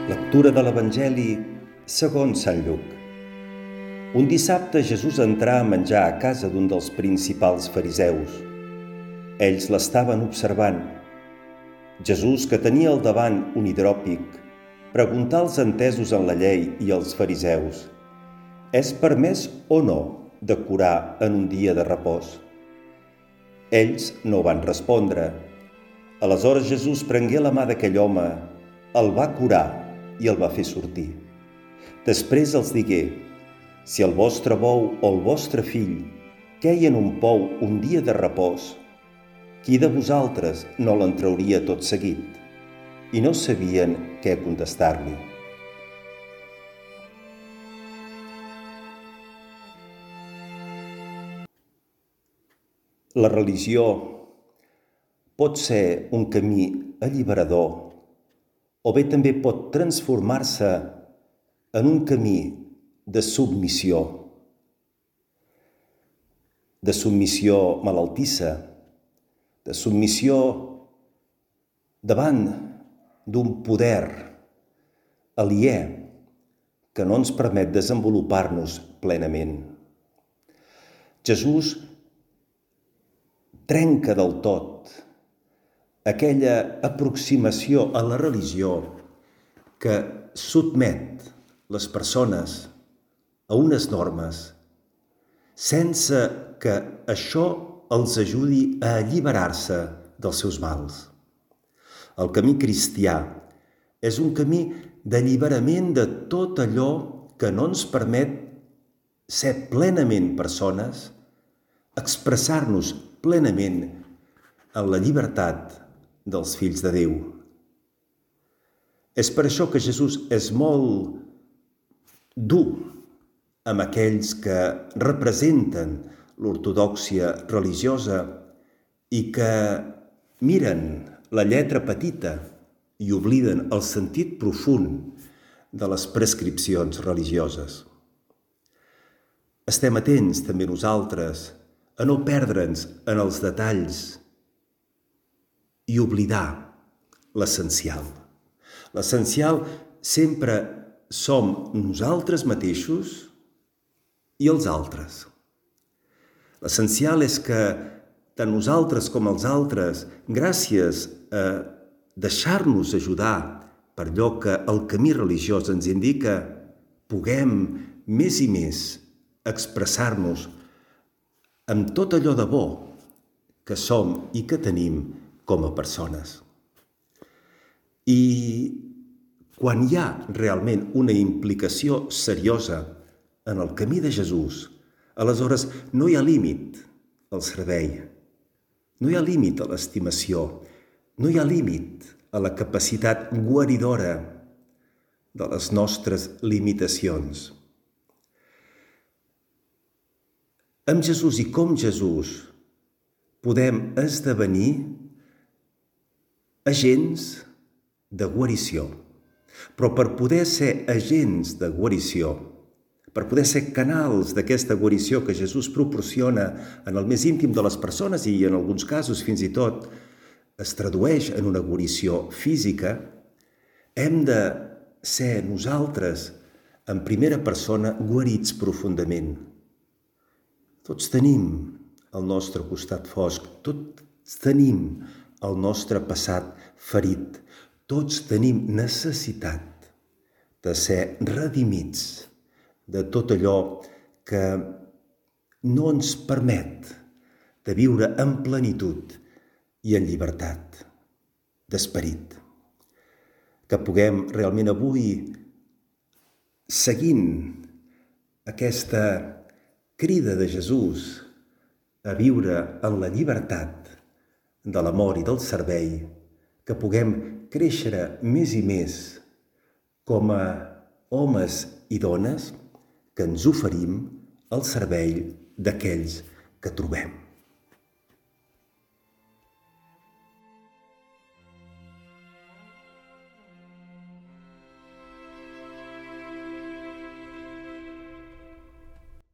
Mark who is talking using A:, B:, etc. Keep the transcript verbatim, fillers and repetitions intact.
A: Lectura de l'Evangeli segons Sant Lluc. Un dissabte Jesús entrà a menjar a casa d'un dels principals fariseus. Ells l'estaven observant. Jesús, que tenia al davant un hidròpic, preguntà als entesos en la llei i als fariseus: «És permès o no de curar en un dia de repòs?» Ells no van respondre. Aleshores Jesús prengué la mà d'aquell home, el va curar i el va fer sortir. Després els digué: «Si el vostre bou o el vostre fill queien en un pou un dia de repòs, qui de vosaltres no l'en trauria tot seguit?» I no sabien què contestar-li. La religió pot ser un camí alliberador o bé també pot transformar-se en un camí de submissió, de submissió malaltissa, de submissió davant d'un poder aliè que no ens permet desenvolupar-nos plenament. Jesús trenca del tot aquella aproximació a la religió que sotmet les persones a unes normes sense que això els ajudi a alliberar-se dels seus mals. El camí cristià és un camí d'alliberament de tot allò que no ens permet ser plenament persones, expressar-nos plenament en la llibertat dels fills de Déu. És per això que Jesús és molt dur amb aquells que representen l'ortodòxia religiosa i que miren la lletra petita i obliden el sentit profund de les prescripcions religioses. Estem atents també nosaltres a no perdre'ns en els detalls i oblidar l'essencial. L'essencial sempre som nosaltres mateixos i els altres. L'essencial és que tant nosaltres com els altres, gràcies a deixar-nos ajudar per allò que el camí religiós ens indica, puguem més i més expressar-nos amb tot allò de bo que som i que tenim com a persones. I quan hi ha realment una implicació seriosa en el camí de Jesús, aleshores no hi ha límit al servei, no hi ha límit a l'estimació, no hi ha límit a la capacitat guaridora de les nostres limitacions. Amb Jesús i com Jesús podem esdevenir agents de guarició. Però per poder ser agents de guarició, per poder ser canals d'aquesta guarició que Jesús proporciona en el més íntim de les persones i en alguns casos fins i tot es tradueix en una guarició física, hem de ser nosaltres en primera persona guarits profundament. Tots tenim el nostre costat fosc, tots tenim el nostre passat ferit, tots tenim necessitat de ser redimits de tot allò que no ens permet de viure en plenitud i en llibertat d'esperit. Que puguem realment avui, seguint aquesta crida de Jesús a viure en la llibertat de l'amor i del servei, que puguem créixer més i més com a homes i dones que ens oferim al servei d'aquells que trobem.